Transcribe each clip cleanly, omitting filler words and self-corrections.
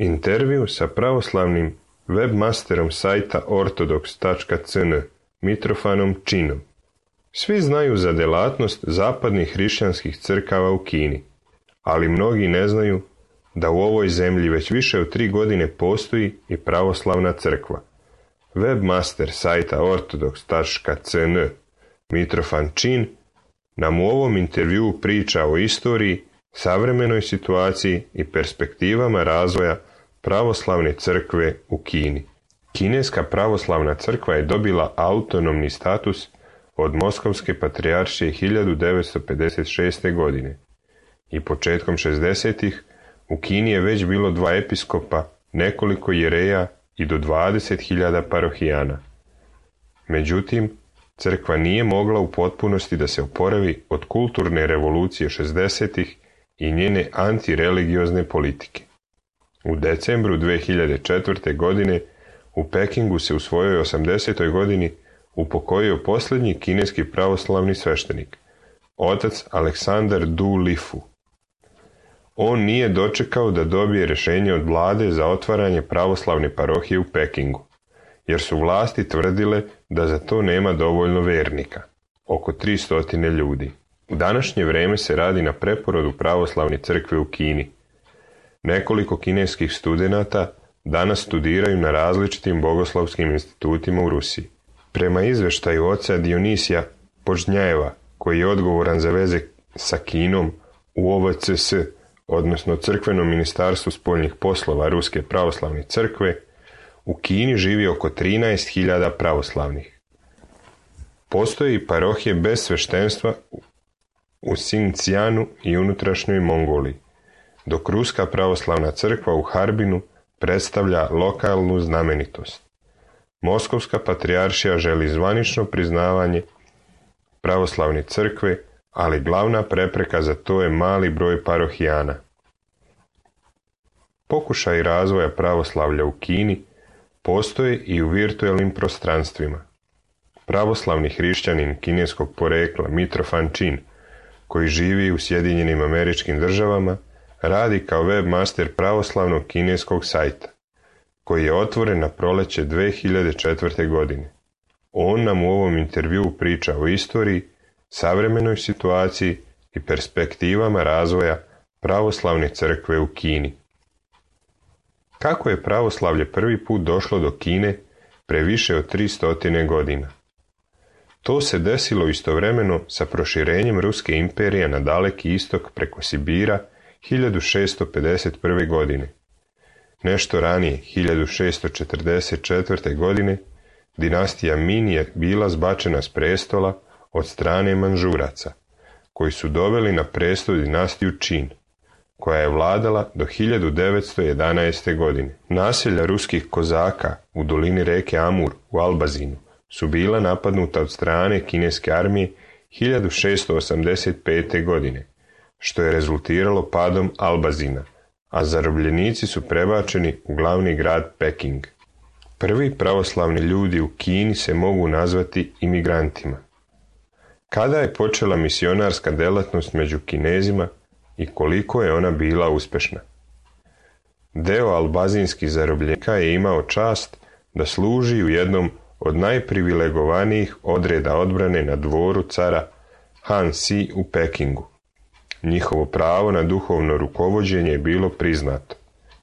Intervju sa pravoslavnim webmasterom sajta ortodoks.cn Mitrofanom Činom. Svi znaju za delatnost zapadnih hrišćanskih crkava u Kini, ali mnogi ne znaju da u ovoj zemlji već više od 3 godine postoji i pravoslavna crkva. Webmaster sajta ortodoks.cn Mitrofan Čin nam u ovom intervjuu priča o istoriji, savremenoj situaciji i perspektivama razvoja pravoslavne crkve u Kini. Kineska pravoslavna crkva je dobila autonomni status od Moskovske patrijaršije 1956. godine i početkom 60-ih u Kini je već bilo 2 episkopa, nekoliko jereja i do 20.000 parohijana. Međutim, crkva nije mogla u potpunosti da se oporavi od kulturne revolucije 60-ih i njene antireligiozne politike. U decembru 2004. godine u Pekingu se u svojoj 80. godini upokojio posljednji kineski pravoslavni sveštenik, otac Aleksandar Du Lifu. On nije dočekao da dobije rješenje od vlade za otvaranje pravoslavne parohije u Pekingu, jer su vlasti tvrdile da za to nema dovoljno vernika, oko 300 ljudi. U današnje vrijeme se radi na preporodu pravoslavne crkve u Kini. Nekoliko kineskih studenata danas studiraju na različitim bogoslovskim institutima u Rusiji. Prema izveštaju oca Dionisija Požnjajeva, koji je odgovoran za veze sa Kinom u OVCS, odnosno Crkvenom ministarstvu spoljnih poslova Ruske pravoslavne crkve, u Kini živi oko 13.000 pravoslavnih. Postoji parohije bez sveštenstva u Xinjiangu i unutrašnjoj Mongoliji, dok Ruska pravoslavna crkva u Harbinu predstavlja lokalnu znamenitost. Moskovska patrijaršija želi zvanično priznavanje pravoslavne crkve, ali glavna prepreka za to je mali broj parohijana. Pokušaj razvoja pravoslavlja u Kini postoje i u virtualnim prostranstvima. Pravoslavni hrišćanin kineskog porekla Mitrofan Čin, koji živi u Sjedinjenim Američkim Državama, radi kao webmaster pravoslavnog kineskog sajta, koji je otvoren na proleće 2004. godine. On nam u ovom intervjuu priča o istoriji, savremenoj situaciji i perspektivama razvoja pravoslavne crkve u Kini. Kako je pravoslavlje prvi put došlo do Kine pre više od 300 godina? To se desilo istovremeno sa proširenjem Ruske imperije na daleki istok preko Sibira 1651. godine. Nešto ranije, 1644. godine, dinastija Min je bila zbačena s prestola od strane Manžuraca, koji su doveli na prestol dinastiju Čin, koja je vladala do 1911. godine. Naselja ruskih kozaka u dolini reke Amur u Albazinu su bila napadnuta od strane kineske armije 1685. godine, što je rezultiralo padom Albazina, a zarobljenici su prebačeni u glavni grad Peking. Prvi pravoslavni ljudi u Kini se mogu nazvati imigrantima. Kada je počela misionarska delatnost među Kinezima i koliko je ona bila uspešna? Deo albazinskih zarobljenika je imao čast da služi u jednom od najprivilegovanijih odreda odbrane na dvoru cara Han Si u Pekingu. Njihovo pravo na duhovno rukovođenje je bilo priznato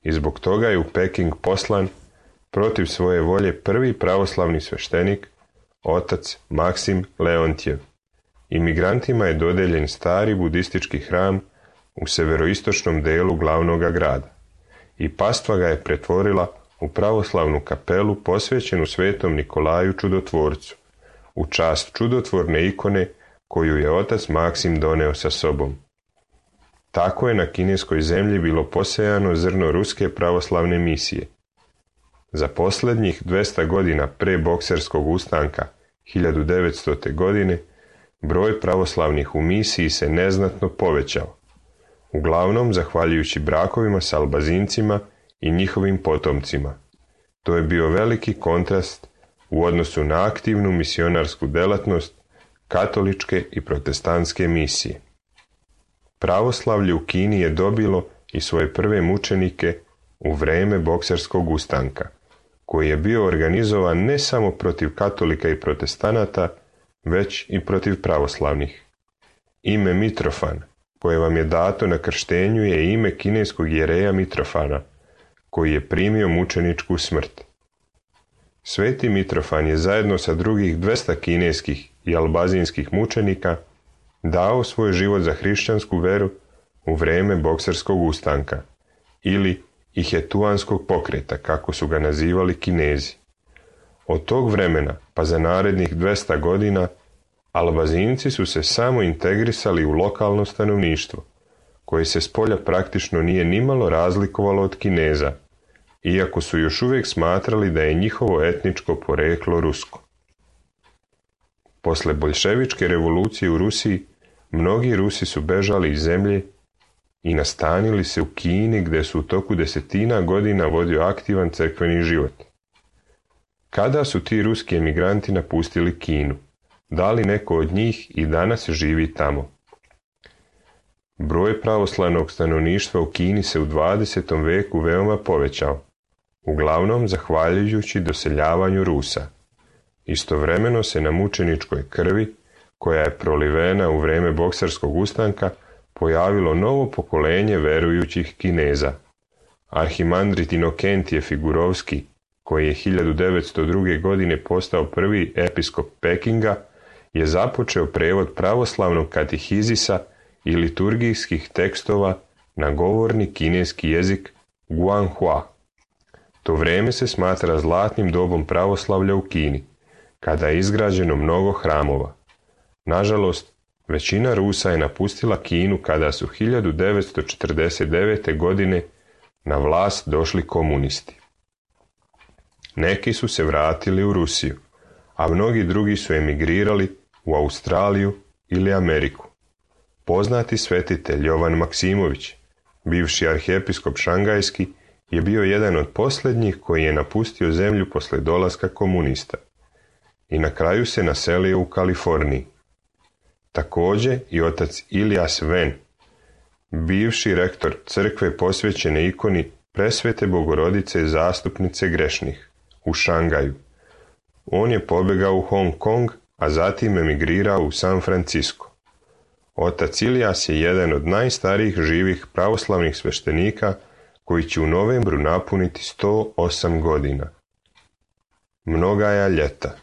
i zbog toga je u Peking poslan protiv svoje volje prvi pravoslavni sveštenik, otac Maksim Leontjev. Imigrantima je dodeljen stari budistički hram u severoistočnom delu glavnog grada i pastva ga je pretvorila u pravoslavnu kapelu posvećenu svetom Nikolaju Čudotvorcu, u čast čudotvorne ikone koju je otac Maksim doneo sa sobom. Tako je na kineskoj zemlji bilo posejano zrno ruske pravoslavne misije. Za posljednjih 200 godina pre bokserskog ustanka 1900. godine broj pravoslavnih u misiji se neznatno povećao, uglavnom zahvaljujući brakovima s Albazincima i njihovim potomcima. To je bio veliki kontrast u odnosu na aktivnu misionarsku delatnost katoličke i protestantske misije. Pravoslavlje u Kini je dobilo i svoje prve mučenike u vrijeme Bokserskog ustanka, koji je bio organizovan ne samo protiv katolika i protestanata, već i protiv pravoslavnih. Ime Mitrofan, koje vam je dato na krštenju, je ime kineskog jereja Mitrofana, koji je primio mučeničku smrt. Sveti Mitrofan je zajedno sa drugih 200 kineskih i albazinskih mučenika dao svoj život za hrišćansku veru u vrijeme Bokserskog ustanka, ili Ihetuanskog pokreta, kako su ga nazivali Kinezi. Od tog vremena pa za narednih 200 godina Albazinci su se samo integrisali u lokalno stanovništvo, koje se spolja praktično nije nimalo razlikovalo od Kineza, iako su još uvijek smatrali da je njihovo etničko poreklo rusko. Posle boljševičke revolucije u Rusiji, mnogi Rusi su bežali iz zemlje i nastanili se u Kini, gdje su u toku desetina godina vodio aktivan crkveni život. Kada su ti ruski emigranti napustili Kinu? Da li neko od njih i danas živi tamo? Broj pravoslavnog stanovništva u Kini se u 20. veku veoma povećao, uglavnom zahvaljujući doseljavanju Rusa. Istovremeno se na mučeničkoj krvi, koja je prolivena u vrijeme Bokserskog ustanka, pojavilo novo pokolenje verujućih Kineza. Arhimandrit Inokentije Figurovski, koji je 1902. godine postao prvi episkop Pekinga, je započeo prevod pravoslavnog katehizisa i liturgijskih tekstova na govorni kineski jezik Guanhua. To vrijeme se smatra zlatnim dobom pravoslavlja u Kini, kada je izgrađeno mnogo hramova. Nažalost, većina Rusa je napustila Kinu kada su 1949. godine na vlast došli komunisti. Neki su se vratili u Rusiju, a mnogi drugi su emigrirali u Australiju ili Ameriku. Poznati svetitelj Jovan Maksimović, bivši arhiepiskop šangajski, je bio jedan od posljednjih koji je napustio zemlju posle dolaska komunista i na kraju se naselio u Kaliforniji. Također i otac Ilias Ven, bivši rektor crkve posvećene ikoni Presvete Bogorodice zastupnice grešnih u Šangaju. On je pobegao u Hong Kong, a zatim emigrirao u San Francisco. Otac Ilias je jedan od najstarijih živih pravoslavnih sveštenika koji će u novembru napuniti 108 godina. Mnogaja ljeta.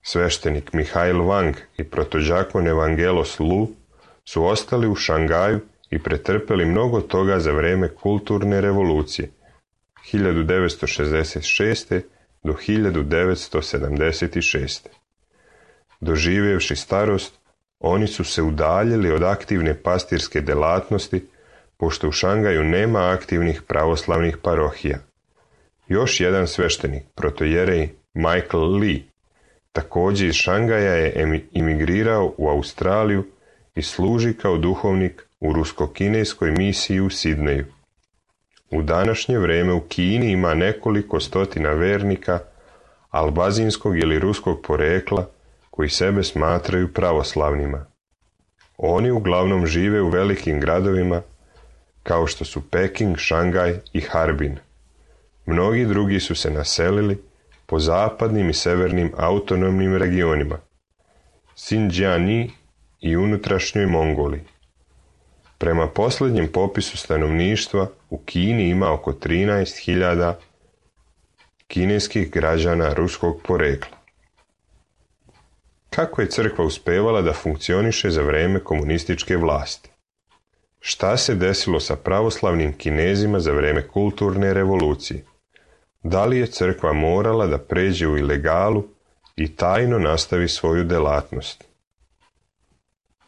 Sveštenik Mihail Wang i protođakon Evangelos Lu su ostali u Šangaju i pretrpeli mnogo toga za vrijeme kulturne revolucije 1966. do 1976. Doživjevši starost, oni su se udaljili od aktivne pastirske delatnosti, pošto u Šangaju nema aktivnih pravoslavnih parohija. Još jedan sveštenik, protojerej Michael Lee, također iz Šangaja je imigrirao u Australiju i služi kao duhovnik u rusko-kineskoj misiji u Sidneju. U današnje vrijeme u Kini ima nekoliko stotina vernika albazinskog ili ruskog porekla koji sebe smatraju pravoslavnima. Oni uglavnom žive u velikim gradovima kao što su Peking, Šangaj i Harbin. Mnogi drugi su se naselili po zapadnim i severnim autonomnim regionima, Xinjiang i unutrašnjoj Mongoliji. Prema posljednjem popisu stanovništva u Kini ima oko 13.000 kineskih građana ruskog porekla. Kako je crkva uspevala da funkcioniše za vrijeme komunističke vlasti? Šta se desilo sa pravoslavnim Kinezima za vrijeme kulturne revolucije? Da li je crkva morala da pređe u ilegalu i tajno nastavi svoju delatnost?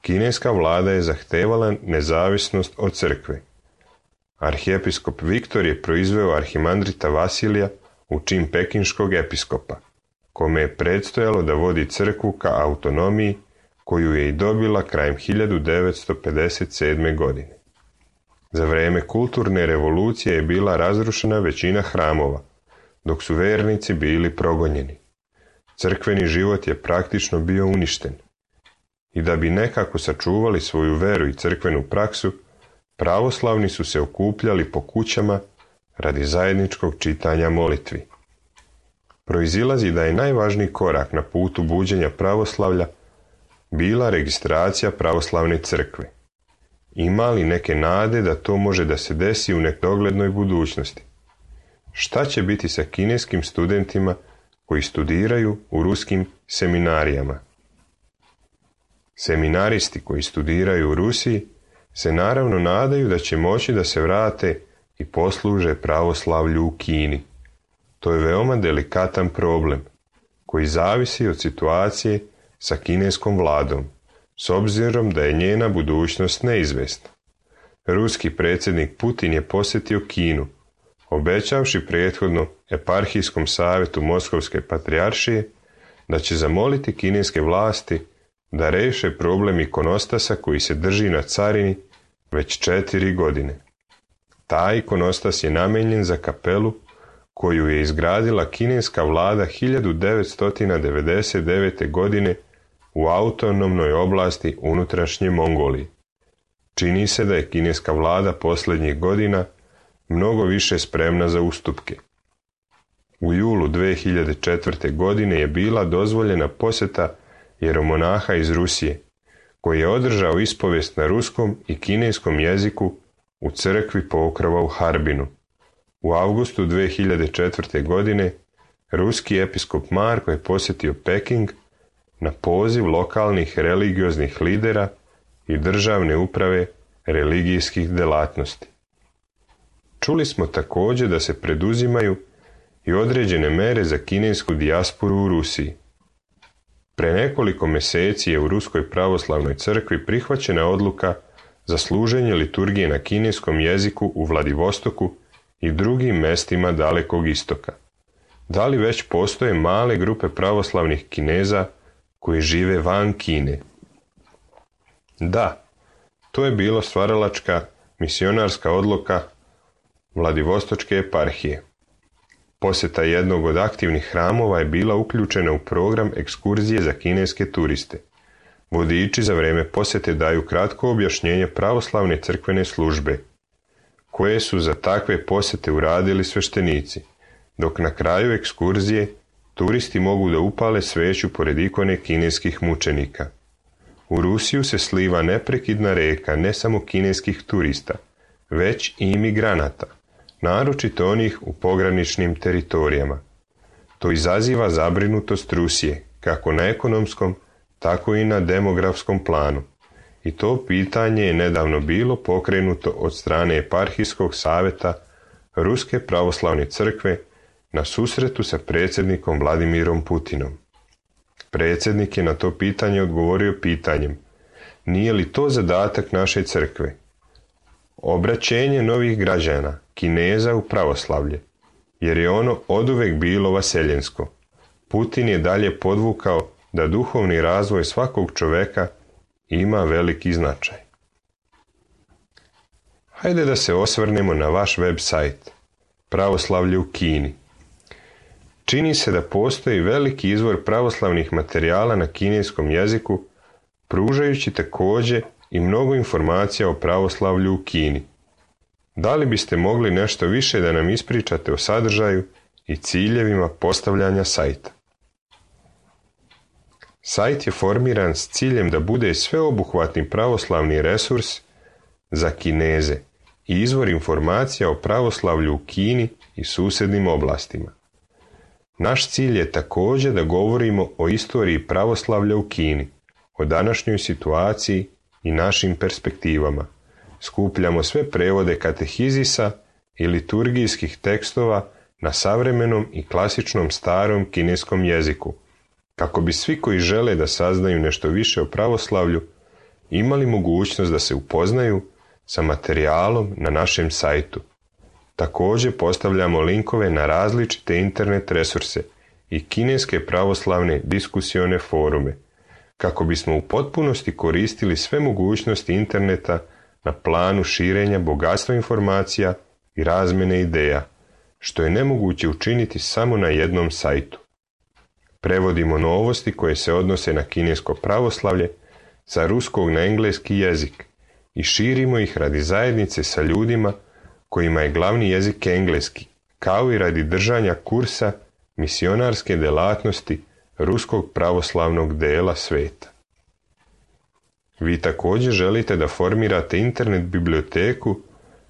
Kineska vlada je zahtevala nezavisnost od crkve. Arhiepiskop Viktor je proizveo arhimandrita Vasilija u čin pekinškog episkopa, kome je predstojalo da vodi crkvu ka autonomiji koju je i dobila krajem 1957. godine. Za vrijeme kulturne revolucije je bila razrušena većina hramova, dok su vernici bili progonjeni. Crkveni život je praktično bio uništen. I da bi nekako sačuvali svoju veru i crkvenu praksu, pravoslavni su se okupljali po kućama, radi zajedničkog čitanja molitvi. Proizilazi da je najvažniji korak na putu buđenja pravoslavlja bila registracija pravoslavne crkve. Ima li neke nade da to može da se desi u nedoglednoj budućnosti? Šta će biti sa kineskim studentima koji studiraju u ruskim seminarijama? Seminaristi koji studiraju u Rusiji se naravno nadaju da će moći da se vrate i posluže pravoslavlju u Kini. To je veoma delikatan problem koji zavisi od situacije sa kineskom vladom, s obzirom da je njena budućnost neizvesna. Ruski predsjednik Putin je posjetio Kinu, obećavši prethodno eparhijskom savjetu Moskovske patrijaršije da će zamoliti kineske vlasti da reše problem ikonostasa koji se drži na carini već 4 godine. Taj ikonostas je namenjen za kapelu koju je izgradila kineska vlada 1999. godine u autonomnoj oblasti unutrašnje Mongolije. Čini se da je kineska vlada posljednjih godina mnogo više spremna za ustupke. U julu 2004. godine je bila dozvoljena posjeta jeromonaha iz Rusije, koji je održao ispovijest na ruskom i kineskom jeziku u crkvi Pokrova u Harbinu. U avgustu 2004. godine ruski episkop Marko je posjetio Peking na poziv lokalnih religioznih lidera i državne uprave religijskih delatnosti. Čuli smo također da se preduzimaju i određene mere za kinesku dijasporu u Rusiji. Pre nekoliko mjeseci je u Ruskoj pravoslavnoj crkvi prihvaćena odluka za služenje liturgije na kineskom jeziku u Vladivostoku i drugim mestima Dalekog istoka. Da li već postoje male grupe pravoslavnih Kineza koji žive van Kine? Da, to je bilo stvaralačka misionarska odluka Vladivostočke eparhije. Posjeta jednog od aktivnih hramova je bila uključena u program ekskurzije za kineske turiste. Vodiči za vrijeme posjete daju kratko objašnjenje pravoslavne crkvene službe, koje su za takve posjete uradili sveštenici, dok na kraju ekskurzije turisti mogu da upale sveću pored ikone kineskih mučenika. U Rusiju se sliva neprekidna reka ne samo kineskih turista, već i imigranata, naročito onih u pograničnim teritorijama. To izaziva zabrinutost Rusije, kako na ekonomskom, tako i na demografskom planu. I to pitanje je nedavno bilo pokrenuto od strane eparhijskog savjeta Ruske pravoslavne crkve na susretu sa predsjednikom Vladimirom Putinom. Predsjednik je na to pitanje odgovorio pitanjem: nije li to zadatak naše crkve? Obraćenje novih građana, Kineza u pravoslavlje, jer je ono oduvek bilo vaseljensko. Putin je dalje podvukao da duhovni razvoj svakog čoveka ima veliki značaj. Hajde da se osvrnemo na vaš web sajt, Pravoslavlje u Kini. Čini se da postoji veliki izvor pravoslavnih materijala na kineskom jeziku, pružajući također i mnogo informacija o pravoslavlju u Kini. Da li biste mogli nešto više da nam ispričate o sadržaju i ciljevima postavljanja sajta? Sajt je formiran s ciljem da bude sveobuhvatni pravoslavni resurs za Kineze i izvor informacija o pravoslavlju u Kini i susjednim oblastima. Naš cilj je također da govorimo o istoriji pravoslavlja u Kini, o današnjoj situaciji i našim perspektivama. Skupljamo sve prevode katehizisa i liturgijskih tekstova na savremenom i klasičnom starom kineskom jeziku, kako bi svi koji žele da saznaju nešto više o pravoslavlju imali mogućnost da se upoznaju sa materijalom na našem sajtu. Također postavljamo linkove na različite internet resurse i kineske pravoslavne diskusione forume, kako bismo u potpunosti koristili sve mogućnosti interneta na planu širenja bogatstva informacija i razmjene ideja, što je nemoguće učiniti samo na jednom sajtu. Prevodimo novosti koje se odnose na kinesko pravoslavlje sa ruskog na engleski jezik i širimo ih radi zajednice sa ljudima kojima je glavni jezik engleski, kao i radi držanja kursa misionarske delatnosti ruskog pravoslavnog dela sveta. Vi također želite da formirate internet biblioteku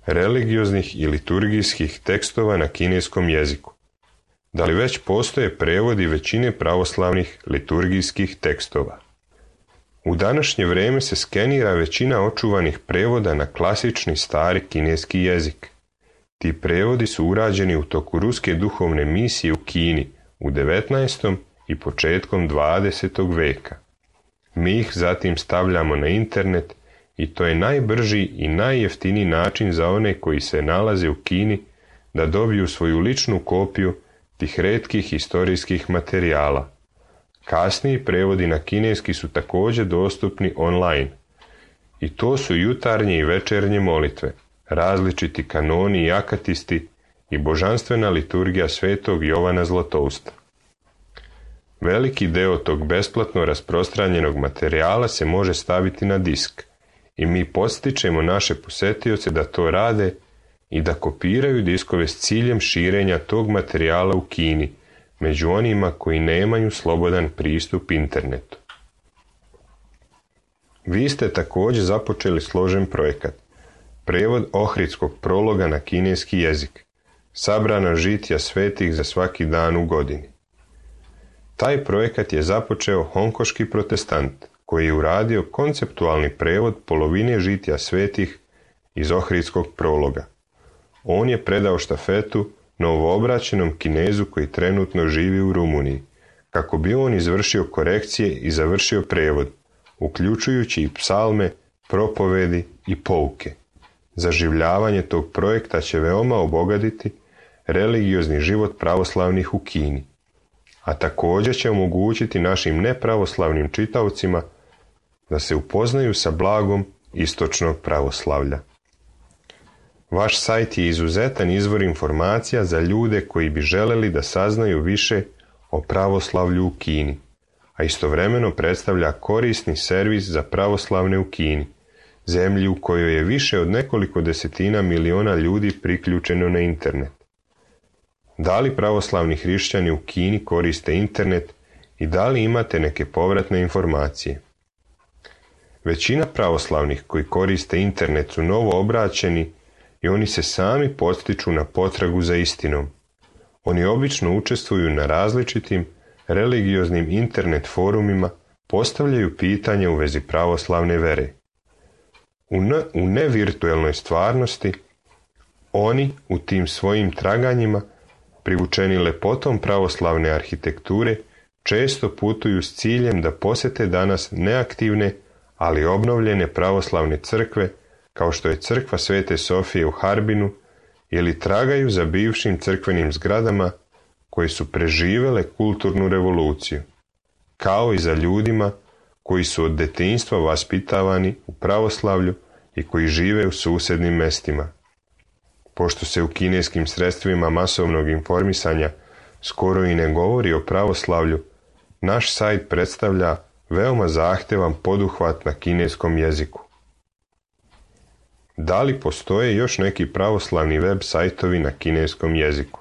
religioznih i liturgijskih tekstova na kineskom jeziku. Da li već postoje prevodi većine pravoslavnih liturgijskih tekstova? U današnje vrijeme se skenira većina očuvanih prevoda na klasični stari kineski jezik. Ti prevodi su urađeni u toku ruske duhovne misije u Kini u 19. i početkom 20. veka. Mi ih zatim stavljamo na internet i to je najbrži i najjeftiniji način za one koji se nalaze u Kini da dobiju svoju ličnu kopiju tih retkih historijskih materijala. Kasniji prevodi na kineski su također dostupni online. I to su jutarnje i večernje molitve, različiti kanoni i akatisti i božanstvena liturgija svetog Jovana Zlatousta. Veliki deo tog besplatno rasprostranjenog materijala se može staviti na disk i mi podstičemo naše posetioce da to rade i da kopiraju diskove s ciljem širenja tog materijala u Kini, među onima koji nemaju slobodan pristup internetu. Vi ste također započeli složen projekat, prevod Ohridskog prologa na kineski jezik, sabrana žitija svetih za svaki dan u godini. Taj projekat je započeo honkoški protestant, koji je uradio konceptualni prevod polovine žitija svetih iz Ohridskog prologa. On je predao štafetu novoobraćenom Kinezu koji trenutno živi u Rumuniji, kako bi on izvršio korekcije i završio prevod, uključujući i psalme, propovedi i pouke. Zaživljavanje tog projekta će veoma obogatiti religiozni život pravoslavnih u Kini, a također će omogućiti našim nepravoslavnim čitaocima da se upoznaju sa blagom istočnog pravoslavlja. Vaš sajt je izuzetan izvor informacija za ljude koji bi želeli da saznaju više o pravoslavlju u Kini, a istovremeno predstavlja korisni servis za pravoslavne u Kini, zemlji u kojoj je više od nekoliko desetina miliona ljudi priključeno na internet. Da li pravoslavni hrišćani u Kini koriste internet i da li imate neke povratne informacije? Većina pravoslavnih koji koriste internet su novo obraćeni i oni se sami podstiču na potragu za istinom. Oni obično učestvuju na različitim religioznim internet forumima, postavljaju pitanja u vezi pravoslavne vere. U nevirtuelnoj stvarnosti, oni u tim svojim traganjima, privučeni lepotom pravoslavne arhitekture, često putuju s ciljem da posete danas neaktivne, ali obnovljene pravoslavne crkve, kao što je crkva Svete Sofije u Harbinu, ili tragaju za bivšim crkvenim zgradama koje su preživele kulturnu revoluciju, kao i za ljudima koji su od detinjstva vaspitavani u pravoslavlju i koji žive u susjednim mestima. Pošto se u kineskim sredstvima masovnog informisanja skoro i ne govori o pravoslavlju, naš sajt predstavlja veoma zahtevan poduhvat na kineskom jeziku. Da li postoje još neki pravoslavni web sajtovi na kineskom jeziku?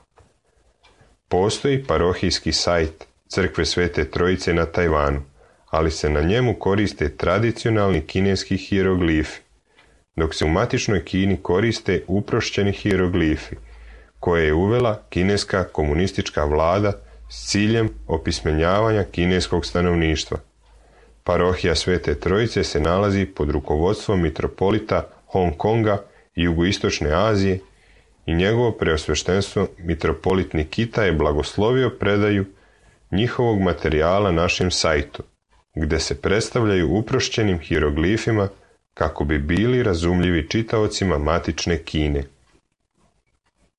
Postoji parohijski sajt Crkve Svete Trojice na Tajvanu, ali se na njemu koriste tradicionalni kineski hijeroglifi, dok se u matičnoj Kini koriste uprošćeni hijeroglifi, koje je uvela kineska komunistička vlada s ciljem opismenjavanja kineskog stanovništva. Parohija Svete Trojice se nalazi pod rukovodstvom mitropolita Hong Konga i jugoistočne Azije i njegovo preosveštenstvo mitropolit Nikita je blagoslovio predaju njihovog materijala našem sajtu, gdje se predstavljaju uprošćenim hijeroglifima kako bi bili razumljivi čitaocima matične Kine.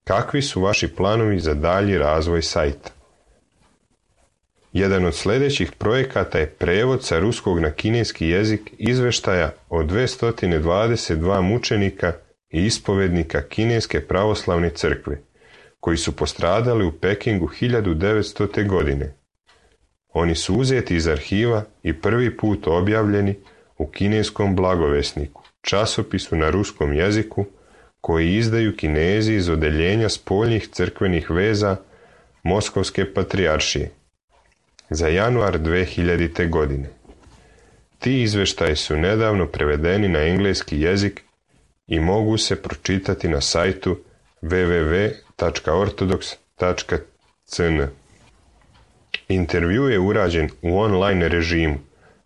Kakvi su vaši planovi za dalji razvoj sajta? Jedan od sljedećih projekata je prevod sa ruskog na kineski jezik izveštaja o 222 mučenika i ispovednika kineske pravoslavne crkve, koji su postradali u Pekingu 1900. godine. Oni su uzeti iz arhiva i prvi put objavljeni u kineskom blagovesniku, časopisu na ruskom jeziku, koji izdaju Kinezi iz odeljenja spoljnih crkvenih veza Moskovske patrijaršije za januar 2000. godine. Ti izveštaji su nedavno prevedeni na engleski jezik i mogu se pročitati na sajtu www.ortodox.cn. Intervju je urađen u online režimu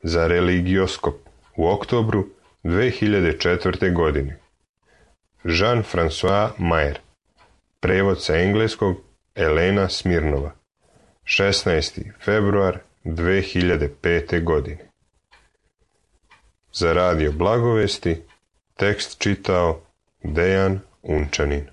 za Religioskop u oktobru 2004. godine. Jean-François Mayer. Prevod sa engleskog Elena Smirnova. 16. februar 2005. godine. Za Radio Blagovesti tekst čitao Dejan Unčanin.